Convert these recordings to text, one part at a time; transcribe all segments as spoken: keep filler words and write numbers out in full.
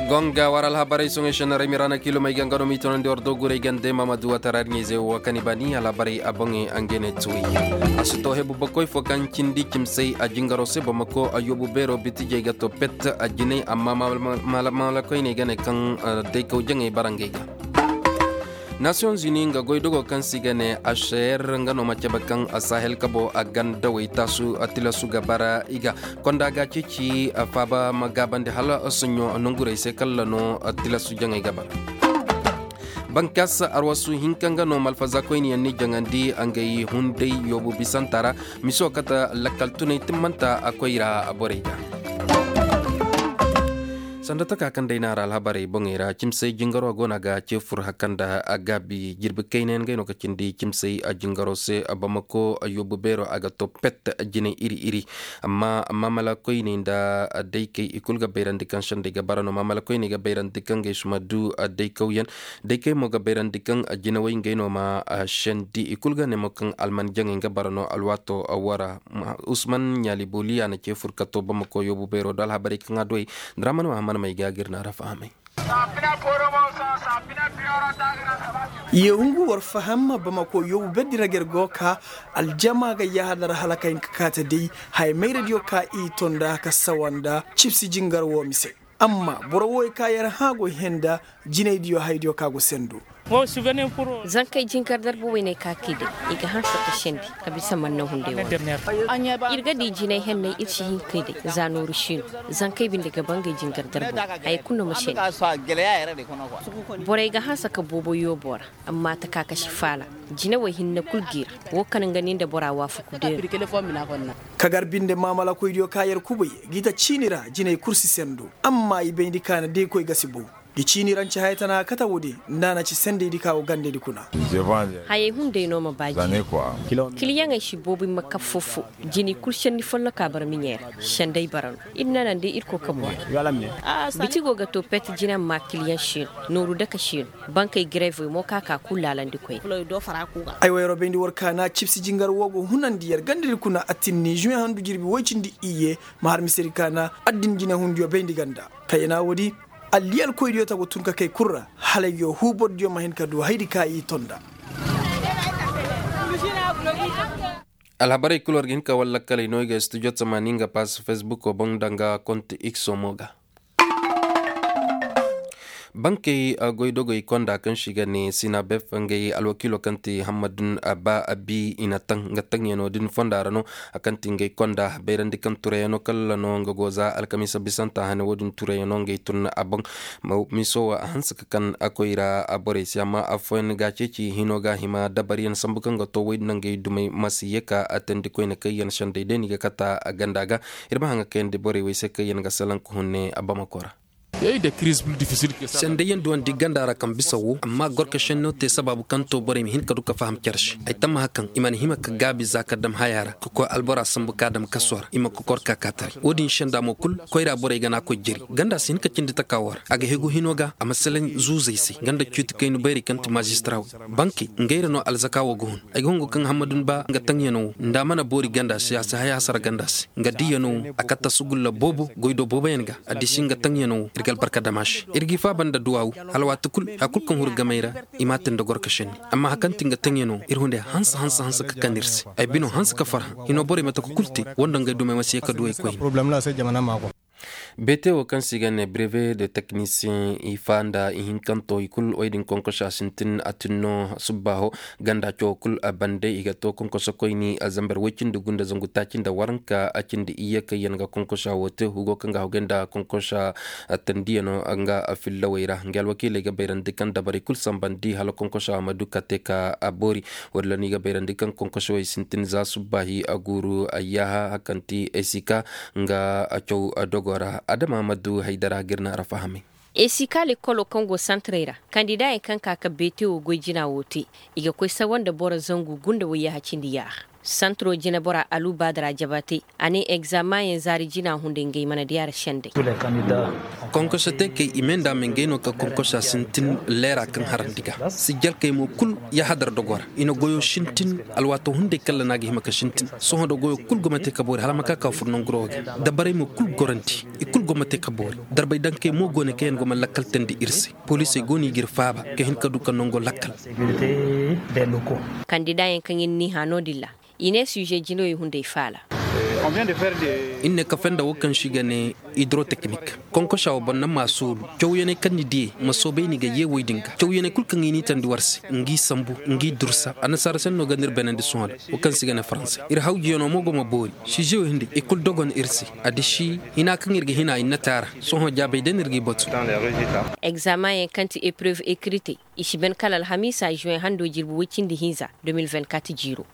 Gonga war alhabarey soŋey shannaray mirana kilomey ga nga no m'i tonandi war do guray gande mamadu watara ɲayze wo kaŋ i ba ni alhabarey a boŋey angene tuwi. A si to hebu bakoy fo kaŋ cindi cimsey a jingaro se bamako a yobu beero bitijey ga to pet a jinay amma malakoyney ga ne kaŋ daykaw jaŋey barangey ga. Nasiyoŋ zuni nga goydogo kaŋ se i ga ne aser nga no ma cabe kaŋ sahel kabo a gandawey taasu tilasu ga bara i ga konda ga ceeci faaba ma gaabandi hala sonɲo nongurey se kala no tilasu jaŋey ga bara. Bankas arwasu hinka nga no malfaza koyne yaŋ ni jaŋandi ngey hunday yoobu bisanta ra. Miso kate lakkal tunay timmanta a koy ra borey ga. Sanda taka kaŋ day naara alhabarey boŋey ra cimsey jingaro go no a ga ce fur hakan da a gaabi jirbi kayna yaŋ gay no ka cindi cimsey a jingaro se bamako a yoobu beero a ga to pet jinay iri iri. Amma mamala koyney nda daykey i kulu ga bayrandi kaŋ sendey ga bara no mamala koyney ga bayrandi kaŋ gay suma du daykawyaŋ. Daykey mo ga bayrandi kaŋ jinawey ngey no ma sendi i kulu ga ne mo kaŋ alman jaŋey ga bara no alwaato wara. Usman ɲaali booliya na ce furkato bamako yoobu bayro do alhabarey kaŋ a duwey. Daraman mahamman may ga ga iri na ra fahamay. Ye hungu war faham bamako yoobu beddi ra ga iri go ka aljama ga yahadar halakay ga kaate day. Haya mayradiyo ka i tonda ka sawanda cibsi jingar wo mise. Amma boro wo ka yar hã go henda jinay diyo hay diyo ka go sendo. Zankey jingar darbo wayney ka kay day i ga hanse ka sendi ka bisa manna hunday wo. Iri ga di jinay henney iri si hin kay day za nooru siino. Zankey binde ga bangay jingar darbo haya kulu no ma sendi. Borey ga hanse ka boobo yoobo ra. Amma taka ka si faala jinawey hinne kulu g'i ra. Wo kaŋ nga nin da bora waafaku deero. Kagar binde maamalakoy diyo ka yar kubay g'i ta ciini ra jinay kulu si sendo. Amma i bayndi kaana deekoy ga si bow. I ciini ra nci haya tana kata wo-din nda a na ci sendey di ka go gandey di kuna. Hayey hunday no ma ba jine. Kiliyaŋey si boobo i ma kab fo-fo. Jini kulu senni folloka bara miɲey ra. Sendey bara no. Iri nanandi irkoy ka boŋ. Biti go ga to pet jine amma kiliyaŋ siino. Nooru dake siino. Bankey grevey mo ka ka kulu laalandi koyne. Ay wayro bayndi war kaana cibsi jingar wo go hunandi yar ganda din kuna a tinni juin handu jirbi woy-cindi iyye. Ma har misedi kaana addin jine hundiyo bayndi ganda. Kayana wo-di alliyal koydiyo ta go tun ka kay kulu ra. Hala ay go huubordiyo ma hin ka du haydi ka i tonda. Alhabarey kulu war ga hin ka wallakkaley no i ga studio tamaani nga pass facebook boŋ danga konte x mo ga. Bankey goydogey konda kaŋ se i ga ne sinabef ngey alwakiilo kaŋ ti hammadun ba abi i na taŋ nga taŋyaŋo din fonda ra no. Kaŋ ti ngey konda bayrandi kaŋ turayaŋo kala no nga go za alkamiisa bisanta hane wo- din turayaŋo ngey tun a boŋ. Miso wo a hanse ka kaŋ a koy ra borey se amma afooyaŋ ga ceeci hino ga hima dabaryaŋ sambu kaŋ ga to way din nangey dumey ma si ye ka atandi koyne kaŋ yaŋ sendey day no i ga kate ganda ga. Iri ma haŋ ga kayandi borey wo ay se kaŋ yaŋ ga salaŋ ka hunne a bamako ra. Sendey yaŋ duwandi ganda ra kaŋ bisa wo amma gorkasenno te sabaabu kaŋ to borey ma hin ka du ka faham care se ay tammaha kaŋ i mana hima ka gaabi za ka dam haya ra ka koy albora sambu ka dam kaso ra i ma kokor ka ka taray wo- din senda mo kulu koyra borey ga n'a koy jari ganda si hin ka cindi taka wo ra a ga hegu hino ga a ma salaŋ zuuzey se ganda cuuti kayna bayrey kaŋ ti mazistarawey. Bankey ngey ra no alzaka wo ga hun. Ay ga hungu kaŋ hammadun ba nga taŋyaŋo wo nda a mana boori ganda se a si hay hasara ganda se nga diyaŋo wo a katta sugulla boobo goy do booboyaŋ ga. Addisi nga taŋyaŋo wo iri ga albarka dama se iri g'i faaba nda duwaawu. Hala waati kulu hari kulu kaŋ huru gamey ra i m'a te nda gorka senni. Amma hari kaŋ ti nga taŋyaŋo wo iri hunday hanse hanse hanse ka kande iri se. Ay bino hanse ka farhã hino borey mate ka kulu te wando ngey dumey ma si ye ka du ay koyne. Beete wo kaŋ se i ga ne breve de teknisiyeŋ i fa nda ihinkanto i kulu wo- din konkosa sintin a tin no subbaaho. Ganda cawo kulu a bande i ga to konkoso koyni a zambar woy-cindi gunda zangu taaci nda waranka a cindi iyye kaŋ yaŋ ga konkosa wo te hugo kaŋ ga hogay nda konkosa tandiyaŋo nga fillawey ra nga alwakiiley ga bayrandi kaŋ dabarey kulu sambandi hala konkosa ma du ka te ka a boori. Wo- din ra no i ga bayrandi kaŋ konkoso wo i sintin za subbaahi a guuru ayyaha hari kaŋ ti esika nga caw dogo ra adama ma du haydara ga iri na ra fahamay. Esika lekkolo kaŋ go santarey ra kandidayaŋ kaŋ ka ka beete wo goy jina wo te. I ga koy sawa nda boro zangu gunda wayyaha cindi yaaha. Santiro jine bora alu baadara jaba te. A ne egzaamanyaŋ zaari jina hunday ngey mana di a ra sendey. Konkoso te kay i me nda me ngey no ka konkosa sintin leera kaŋ harandi ga sijjalkey mo kulu. Yahadar dogo ra i na goyo sintin. Alwaato hunday kalla no a ga hima ka sintin. Sohõ da goyo kulu go ma te ka boori hala ma ka ka furo nangu ro ga dabarey mo kulu gorandi. I kulu go ma te ka boori. Darbay dankey mo go ne kaŋ yaŋ go ma lakkal tandi iri se. Poliisey go no i ga iri faaba ka hin ka du ka nango lakkal. Kandida yaŋ kaŋ iri n'i hã no- din ra i ne suuze jinoy hunday faala. Iri ne kafe nda wo kaŋ se i ga ne hidroteknik. Konkosa wo boro naŋ ma a soolu. Cawyaney kaŋ ni diye ma soobay ni ga ye wo- din ga cawyaney kulu kaŋ i n'i tandi war se, ngi sambu, ngi dursa annasaara se no ga no iri beenandi sohõ da wo kaŋ se i ga ne faranse. Iri hawjiyano mo go ma boori. Sizeyo hinday i kulu dogon iri se. Addiši hina kaŋ iri ga hina i nate a ra. Sohõ jaabey day no iri g'i batu. Egzaamanyaŋ kaŋ ti epreuve ekritey i si ban kala alhamiisa zuwen hando jirbi woy cindi hinza. De mil vingt-quatre jiiro.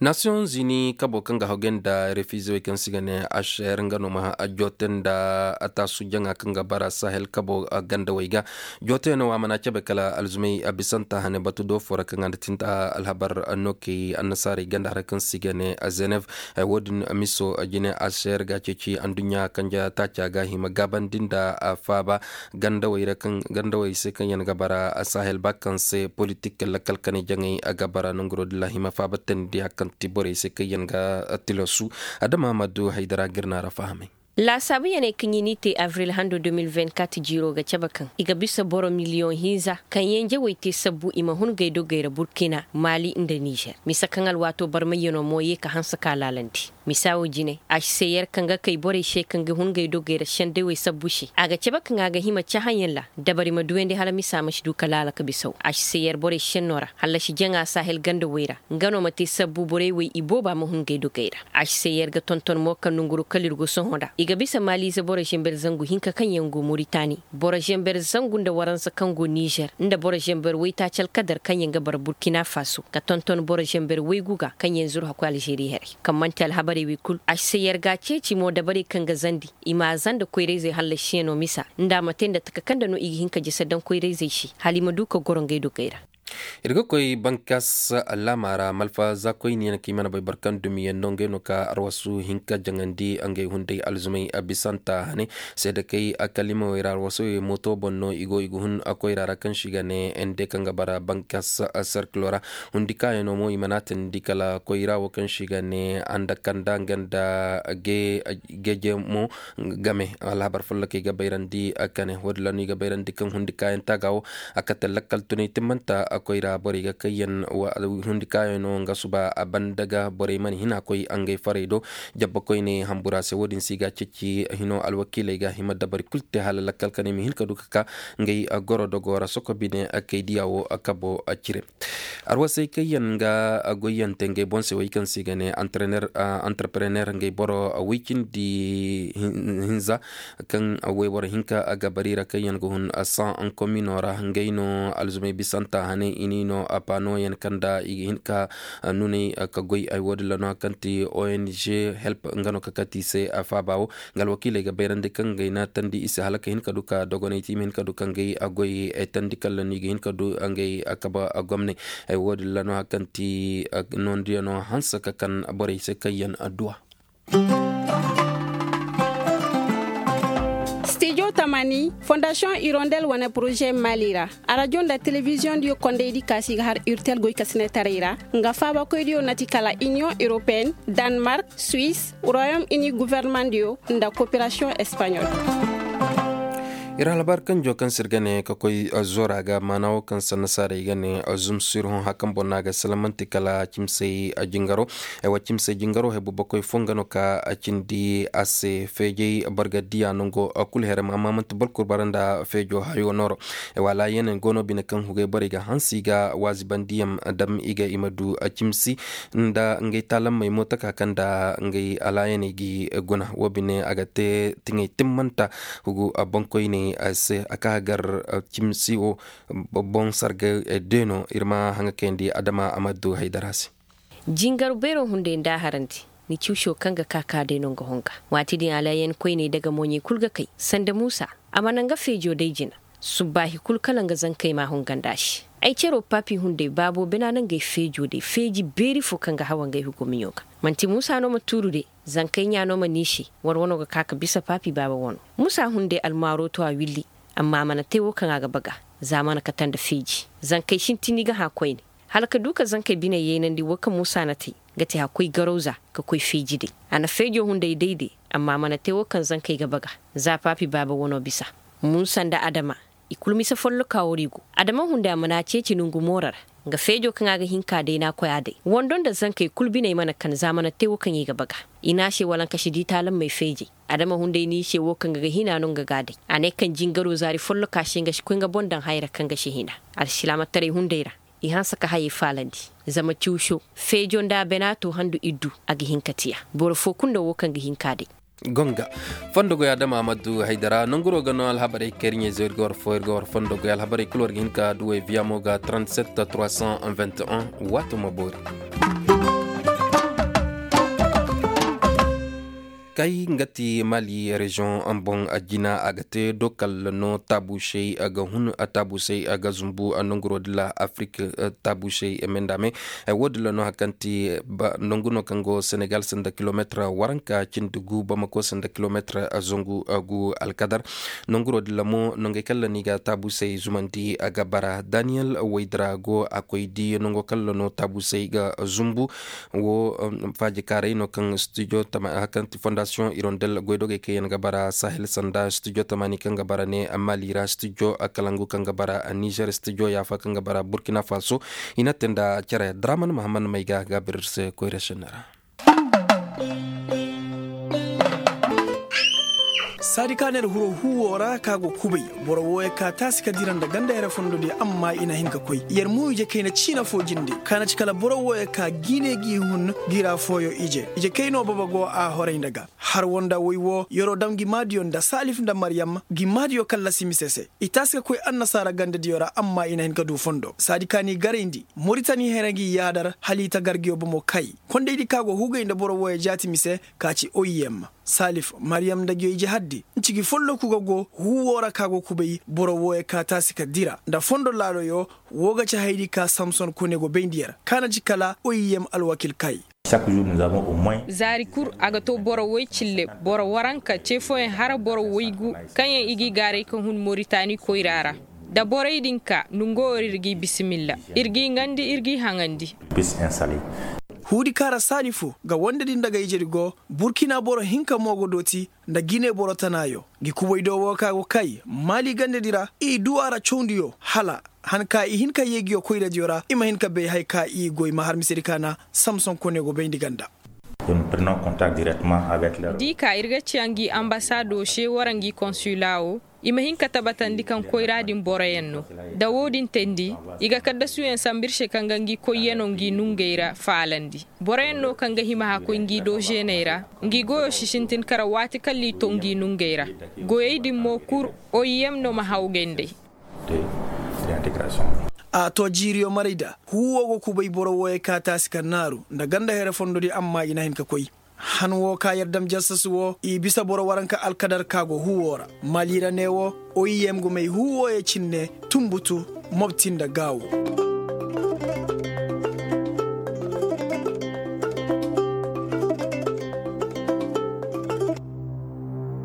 Naasiyoŋ zini kabo kaŋ ga hawgay nda refizewey kaŋ se i ga ne ašer nga no ma joote nda ataasu jaŋa kaŋ ga bara sahel kabo gandawey ga. Joote no a mana cabe kala alzumey bisanta hane batu do fo ra kaŋ a na tinta alhabar no kay annasaarey ganda ra kaŋ se i ga ne zenev. Wo- din miso jine ašer ga ceeci anduɲɲa kanja taaca ga hima gaabandi nda faaba gandawey se kaŋ yaŋ ga bara sahel ba kaŋ se politik lakkal kanay jaŋay ga bara nanguro din ra hima faaba tandi hari kaŋ ti borey se kaŋ yaŋ ga tilasu. Adama ma du haydara ga iri no a ra fahamay. Laasaabu yaŋey kaŋ i n'i te abril hando de mil vingt-quatre jiiro ga cabe kaŋ i ga bisa boro miliyoŋ hinza kaŋ yaŋ jawey te sabbu i ma hun gay dogey ra burkina, maali nda nizer misa kaŋ alwaato barmayyano mo ye ka hanse ka laalandi. Misa wo jine ašseyer kaŋ ga kay borey se kaŋ ga hun gay dogey ra sendawey sabbu se a ga cabe kaŋ a ga hima cahãyaŋ ra dabari ma duyandi hala misa ma si du ka laala ka bisaw ašseyer borey senno ra hallasi jaŋa sahel gandawey ra. Nga no ma te sabbu borey wey i booba ma hun gay dogey ra. Ašseyer ga tonton mo kaŋ nanguro kala iri go sohõ nd'a i ga bisa maaliize boro zember zangu hinka kaŋ yaŋ go moritani, boro zember zangu nda waransa kaŋ go nizer nda boro zember waytaaci alkadar kaŋ yaŋ ga bara burkina faso ka tonton boro zember waygu ga kaŋ yaŋ zuru hakkoy alzeeri haray. Kaŋ manti alhabarey wo kulu ašseyer ga a ceeci mo dabarey kaŋ ga zandi i m'a zanda koyrayzey hallasiyaŋo misa nda a ma te nda taka kaŋ nda no i ga hin ka jese daŋ koyrayzey se hala i ma du ka goro ngey dogey ra. Iri ga koy bankas laama ra malfa za koyne yaŋ kaŋ i mana bay boro kaŋ dumi yaŋ no ngey no ka arwasu hinka jaŋandi ngey hunday alzumay bisanta hane. Seedakey kalimawey ra arwasawey mooto boŋ no i go i ga hun koyra ra kaŋ se i ga ne ende kaŋ ga bara bankas serkilo ra. Hundi kaayaŋo mo i mana a teendi kala koyra wo kaŋ se i ga ne andakanda nga nda geejemo game alhabar follokey ga bayrandi kane wo- din ra no i ga bayrandi kaŋ hundi kaayaŋ taaga wo a kate lakkal tunay timmanta koyra borey ga kayyaŋ hundi kaayaŋo nga suba a banda ga borey mana hin a koy ngey farey do. Jabba koyne hambura se wo- din se i ga a ceeci hino alwakiiley ga hima dabari kulu te hala lakkal kanay ma hin ka du ka ka ngey goro dogo ra soko bine kay diya wo kabo cire. Arwasey kaŋ yaŋ ga goyyaŋ te ngey boŋ se wo kaŋ se i ga ne entrepreneur ngey boro woy cindi hinza kaŋ wayboro hinka ga bari ra kaŋ yaŋ ga hun san komino ra ngey no alzumay bisanta hane i n'i no paano yaŋ kaŋ nda i ga hin ka nunay ka goy ay wo- din ra no kaŋ ti ong help nga no ka kati i se faaba wo. Nga alwakiiley ga bayrandi kaŋ ngey na tandi i se hala ka hin ka du ka dogonay te i ma hin ka du ka ngey goy tandi kala no i ga hin ka du ngey kabe gomnay. Ay wo- din ra no hari kaŋ ti noondiyaŋo hanse ka kan borey se kaŋ yaŋ adduwa. Stijo tamani fondasiyoŋ irondel wane poroze maali ra. Arajo nda telebiziyoŋ diyo kondaydi kaasi ga har urtel goy ka sinetaray ra nga faabakoy diyo na ti kala iniyoŋ europeen, danmark, suwis, royom ini guvernemandiyo nda koperasiyoŋ espanyol. Iri halbar kanjo kaŋ se iri ga ne ka koy zora ga maana wo kaŋ se annasaarey ga ne zumsirhõ hakan boŋ no a ga salamanti kala cimsey jingaro. Ay wa cimsey jingaro hay bumbo koy fo nga no ka cindi a se feejey bargadiya nango kulu here ma amma manti boro kulu bara nda feejo hayo nooro. Ay wa laayaney go no bine kaŋ hugay borey ga hansi ga waazibandiyaŋ dam i ga i ma du cimsi nda ngey taalammey mo taka kaŋ nda ngey alaayaney g'i guna wo bine a ga te tiŋey timmanta hugu boŋkoyney se a ka gar cimsi wo boŋ sargay de no iri ma haŋa kayandi adama a ma du haydara se. Jingar beero hunday nda a harandi ni ciwso kaŋ ga ka ka day no nga honga waati din alaayan koyney daga mooɲey kulu ga kay sanda muusa a mana nga feejo day jina. Subbaahi kulu kala nga zankey ma a honganda se. Ay caro paapi hunday baabo bina no ngey feejo day feeji beeri fo kaŋ ga hawa ngey hugo miɲo ga. Manti muusa no ma tuuru de. Zankey ɲa no ma niisi. War wano ga ka ka bisa paapi baaba wano. Muusa hunday almaaro to a willi. Amma a mana te wo kaŋ a ga baga. Za mana kate nda feeji. Zankey sintin i ga hã koyne. Hala ka du ka zankey biney yaynandi wo kaŋ muusa na te. Ga te hakkoy garawza ka koy feeji day. A na feejo hunday day de. Amma a mana te wo kaŋ zankey ga baga. Za paapi baaba wano bisa. Muusa nda adama. I kulu mise folloka wari go. Adama hunday a mana a ceeci nongu mooro ra. Nga feejo kaŋ a ga hin ka day no a koy a day wando nda zankey kulu biney mana kan za mana te wo kaŋ i ga baga. I ne a se walankasi di taalammey feejey. Adama hunday ne i se wo kaŋ ga ga hina no nga ga a day. A ne kaŋ jingaro zaari folloka se nga si koy nga boŋ daŋ hayra kaŋ ga si hina. Alsilaamataray hunday ra. I hanse ka hayey faalandi. Zama ciwso feejo nda a bana to handu iddu. A ga hin ka tiya. Boro fo kulu no wo kaŋ ga hin ka day. Gonga. Fondo goy adama amadu haydara nanguro ga no alhabarey kaŋ iri ɲayzo iri ga war fo iri ga war fondo goy alhabarey kulu war ga hin ka duwey viyamo ga trente-sept trois cent vingt et un. Waato ma boori. Kay nga ti mali reziyoŋ boŋ jina a ga te dokal no taabusey ga hun taabusey ga zumbu nanguro dilla afrik. Taabusey mendame. Wo- din ra no hari kaŋ ti nangu no kaŋ go senegal sanda kilomeetir waranka cindi gu bamako sanda kilomeetir zangu gu alkadar. Nanguro din ra mo nangey kaŋ ra no i ga taabusey zumandi ga bara daniyel waydira go a koy di nango kaŋ ra no taabusey ga zumbu. Wo faajikaaray no kaŋ studio hari kaŋ ti fondasiyoŋ irondel goydogey kaŋ yaŋ ga bara sahel sanda studio tamaani kaŋ ga bara ne mali ra studio kalangu kaŋ ga bara nizer studio yaafa kaŋ ga bara burkina faso. I na te nda care draman mahammad mayga ga birse koyra senne ra. Saadi ka neera huro huuwo ra ka go kubay. Boro wooyo ka taasi ka dira nda ganda here fondo di amma i na hin ka koy yer mo ije kayna ciina fo jinde ka na ci kala boro wooyo ka jiine g'i hun. Gira fooyo ije ije kayno baba go a horay nda ga har wo nda woy wo yero dam gi maadiyo nda saalif nda maryam gi maadiyo kallasi mise se. I taasi ka koy annasaara gandadiyo ra amma i na hin ka du fondo saadi ka n'i garayndi. Moritani here ngi yaadar hala i ta gargiyo bomo kay. Kondaydi ka go hugay nda boro wooyo jaati mise ka ci oy yem. Saalif maryam nda giyo ije haddi nci gi folloku ga go huuwo ra ka go kubay boro wooyo ka taasi ka dira nda fondo laaloyo. Wo ga ci haydi ka samson kone go bayndi yer ka na ci kala oy yem alwakil kay. Zaari kulu a ga to boro woy cille boro waranka ce fooyaŋ hara boro woy gu kaŋ yaŋ i g'i gaaray ka hun moritani koyra ra. Da borey din ka nongo wara iri g'i bisimilla. Iri g'i ŋandi iri g'i haŋandi. Huudi kaara saali fo ga wande din daga ijedi go. Burkina boro hinka mo go dooti nda gine boro tanaayo. Ngi kubay do wo ka go kay maali gandedi ra i du a ra cawndiyo hala han ka i hin ka yeegiyo koyradiyo ra i ma hin ka bay hari ka i goy ma har misedi kaana. Samson kone go bayndi ganda. Di ka iri ga ciya ngi ambasaado se wara ngi konsula wo i ma hin ka tabatandi kaŋ koyra din boroyaŋ no. Da wo- din teendi i ga kaddasuyaŋ sambu iri se kaŋ ga ngi koyyano ngi nungey ra faalandi. Boroyaŋ no kaŋ ga hima hã koy ngi do zeeney ra. Ngi goyo si sintin kara waati kaŋ l'i to ngi nungey ra. Goyey din mo kulu oy yem no ma hawgay nd'ey. A to jiiriyo maray da huuwo go kubay boro wooyey ka taasi ka naaru nda ganda here fondo di amma i na hin ka koy. Han wo ka yer dam jassas wo i bisa boro waranka alkadar ka go huuwo ra. Mali ra ne wo oy yem gumey huuwo ye cinne tumbutu mobti nda gaawo.